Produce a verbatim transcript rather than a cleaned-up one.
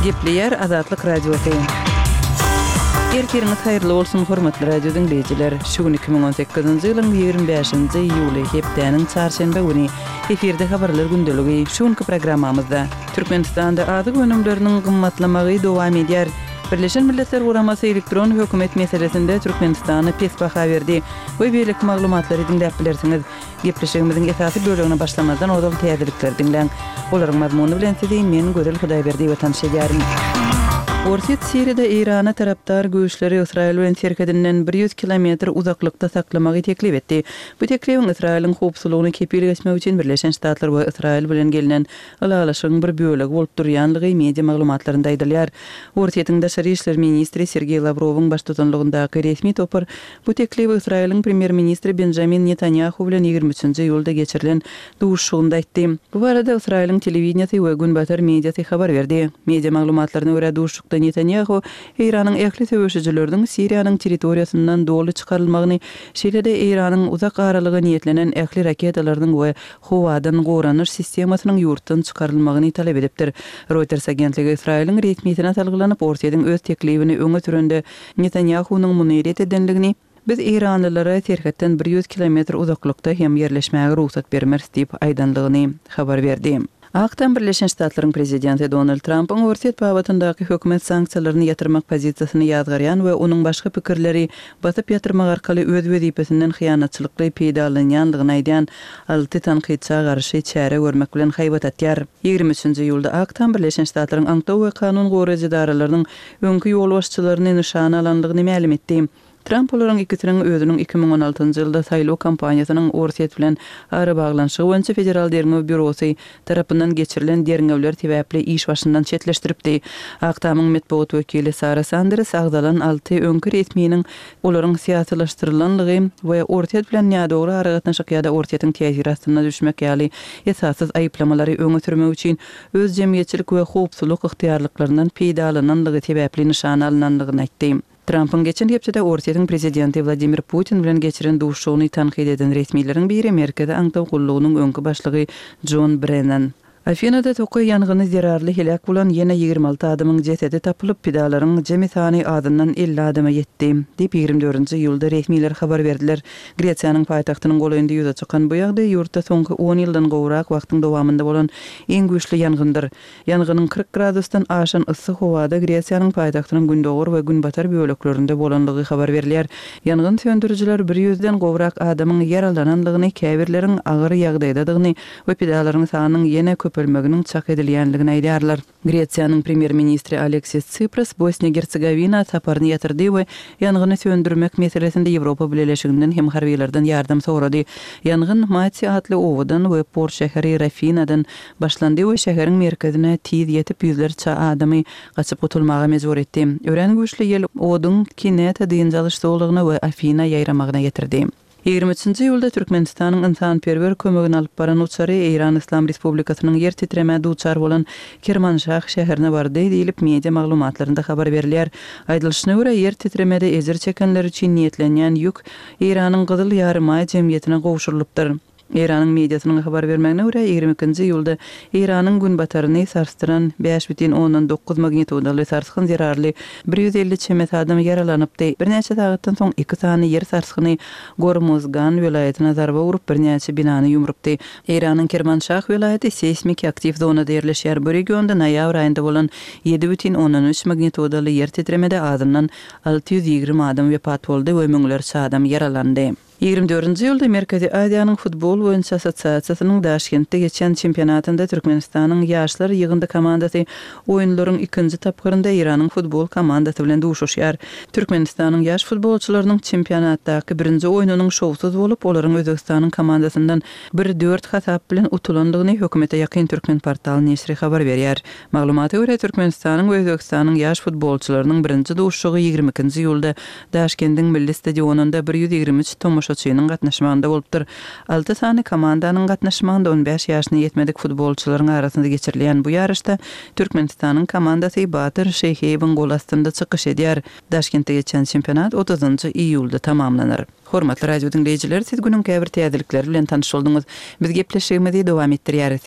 Gepleýär Azatlyk Radiosy. Ertiriňiz haýyrly bolsun, hormatly radio diňleýjiler! Şu gün iki müň on sekizinji ýylyň ýigrimi bäşinji iýuly, hepdäniň çarşenbe güni. Efirde Habarlar gündeligi. Şu günki programmamyzda, Türkmenistanda azyk önümleriniň gymmatlamagy dowam edýär. Birleşen Milletler Guramasy elektron hökümet meselesinde Türkmenistana pes baha berdi we beýleki maglumatlary diňläp bilersiňiz. Gepleşigimiziň esasy bölegine başlamazdan ozal täzelikleri diňläň. Olaryň mazmuny bilen sizi men, Gözel Hudaýberdiýewa tanyş edýärin. Orsýet Siriýada Eýrana tarapdar güýçleri Ysraýyl bilen serhedinden bir ýüz kilometr uzaklykda saklamagy teklip etdi. Bu teklibiň Ysraýylyň howpsuzlygyny kepil geçmek üçin Birleşen Ştatlar we Ysraýyl bilen gelnen ylalaşygyň bir bölegi bolup durýanlygy media maglumatlarynda aýdylýar. Orsýetiň daşary işler ministri Sergeý Lawrowyň baştutanlygyndaky resmi topar bu teklibi Ysraýylyň premýer-ministri Benjamin Netanýahu bilen ýigrimi üçünji iýulda geçirilen duşuşygynda aýtdy. Bu barada Ysraýylyň telewideniýesi we günbatar mediasy habar berdi. Media maglumatlaryna görä, duşuşykda Netanýahu Eýranyň ähli söweşijileriniň Siriýanyň territoriýasyndan doly çykarylmagyny, şeýle-de Eýranyň uzak aralyga niýetlenen ähli raketalarynyň we howadan goranyş sistemasynyň ýurtdan çykarylmagyny talap edipdir. Reuters agentligi Ysraýylyň resmisine salgylanyp, Orsýetiň öz teklibini öňe sürende Netanýahunyň muny ret edenligini, Biz eýranlylara serhetden bir ýüz kilometr uzaklykda hem ýerleşmäge rugsat bermeris diýip aýdanlygyny habar berdi. Ak Tam Birleşen Ştatlaryň prezidenti Donald Trampyň Orsýet babatyndaky hökümet sanksiýalaryny ýatyrmak pozisiýasyny ýazgarýan we onuň başga pikirleri basyp ýatyrmak arkaly öz wezipesinden hyýanatçylykly peýdalanýanlygyny aýdýan alty tankytça garşy çäre görmek bilen haýbat atýar. Ýigrimi üçünji iýulda Ak Tam Birleşen Ştatlaryň aňtaw we kanun goraýjy edaralarynyň öňki ýolbaşçylaryny nyşana alanlygyny mälim etdi. Tramp olaryň ikisiniň özüniň iki müň on altynjy ýylda saýlaw kampaniýasynyň Orsýet bilen arabaglanyşygy boýunça Federal derňew býurosy tarapyndan geçirilen derňewler sebäpli iş başyndan çetleşdiripdi. Ak Tamyň metbugat wekili Sara Sanders agzalan alty öňki resminiň olaryň syýasylaşdyrylanlygy we Orsýet bilen nädogry aragatnaşyk ýa-da Orsýetiň täsiri astyna düşmek ýaly esassyz aýyplamalary öňe sürmek üçin öz jemgyýetçilik we howpsuzlyk ygtyýarlyklaryndan peýdalananlygy sebäpli nyşana alnanlygyny aýtdy. Trampyň geçen hepdede Orsýetiň prezidenti Wladimir Putin bilen geçiren duşuşygyny tankyt eden resmileriň biri Merkezi aňtaw gullugynyň öňki başlygy Jon Brennan. Afinada tokaý ýangyny zerarly heläk bolan ýene ýigrimi alty adamyň jesedi tapylyp, pidalaryň jemi sany azyndan elli adama ýetdi, diýip, ýigrimi dördünji iýulda resmiler habar berdiler. Gresiýanyň paýtagtynyň golaýynda ýüze çykan bu ýagdaý ýurtda soňky on ýyldan gowrak wagtyň dowamynda bolan iň güýçli ýangyndyr. Ýangynyň kyrk gradusdan aşan yssy howada Gresiýanyň paýtagtynyň gündogar we günbatar böleklerinde bolanlygy habar berilýär. Ýangyn söndürijiler bir ýüzden gowrak adamyň ýaralananlygyny, käbirleriň agyr ýagdaýdadygyny we pidalaryň sanynyň ýene köpelmeginiň çak edilýänligini aýdýarlar. Gresiýanyň premýer-ministri Aleksis Tsipras Bosniýa-Gersegowina saparyny ýatyrdy we ýangyny söndürmek meselesinde Ýewropa Bileleşiginden hem harbylardan ýardam sorady. Ýangyn Mati atly obadan we port şäheri Rafinadan başlandy we şäheriň merkezine tiz ýetip, ýüzlerçe adamy gaçyp gutulmaga mejbur etdi. Örän güýçli ýel oduň Kineta dynç alyş zolagyna we Afina ýaýramagyna getirdi. Ýigrimi üçünji iýulda Türkmenistanyň ynsanperwer kömegini alyp baran uçary Eýran Yslam Respublikasynyň ýer titremä duçar bolan Kermanşah şäherine bardy diýlip, media maglumatlarynda habar berilýär. Aýdylyşyna görä, ýer titremede ejir çekenler üçin niýetlenýän ýük Eýranyň Gyzyl Ýarymaý jemgyýetine gowşurylypdyr. Eýranyň mediasynyň habar bermegine görä, ýigrimi ikinji iýulda Eýranyň günbataryny sarsdyran bäş bütin ondan dokuz magnitudaly sarsgyn zerarly bir ýüz elli çemesi adam ýaralanypdy. Birnäçe sagatdan soň iki sany ýer sarsgyny Gormuzgan welaýatyna zarba urup, birnäçe binany ýumrupdy. Eýranyň Kermanşah welaýaty seýsmiki aktiw zonada ýerleşýär. Bu regionda noýabr aýynda bolan ýedi bütin ondan üç magnitudaly ýer titremede azyndan alty ýüz ýigrimi adam wepat boldy we müňlerçe adam ýaralandy. Ýigrimi dördünji iýulda Merkezi Aziýanyň futbol boýunça assosiasiýasynyň Daşkentde geçen çempionatynda Türkmenistanyň ýaşlar ýygyndy komandasy oýunlaryň ikinji tapgyrynda Eýranyň futbol komandasy bilen duşuşýar. Türkmenistanyň ýaş futbolçylarynyň çempionatdaky birinji oýnunyň şowsuz bolup, olaryň Özbegistanyň komandasyndan bir dört hasap bilen utulandygyny hökümete ýakyn Türkmenportal neşiri habar berýär. Maglumata görä, Türkmenistanyň we Özbegistanyň ýaş futbolçylarynyň birinji duşuşygy ýigrimi ikinji iýulda Daşkendiň Milli stadionynda bir ýüz ýigrimi üç tomaşaçynyň gatnaşmagynda bolupdyr. Alty sany komandanyň gatnaşmagynda on bäş ýaşyna ýetmedik futbolçylaryň arasynda geçirilýän bu ýaryşda Türkmenistanyň komandasy Batyr Şeýhiýewiň gol astynda çykyş edýär. Daşkentde geçen çempionat otuzynjy iýulda tamamlanar. Hormatly radio diňleýjiler, siz günüň käbir täzelikleri bilen tanyş bolduňyz. Biz gepleşigimizi dowam etdirýäris.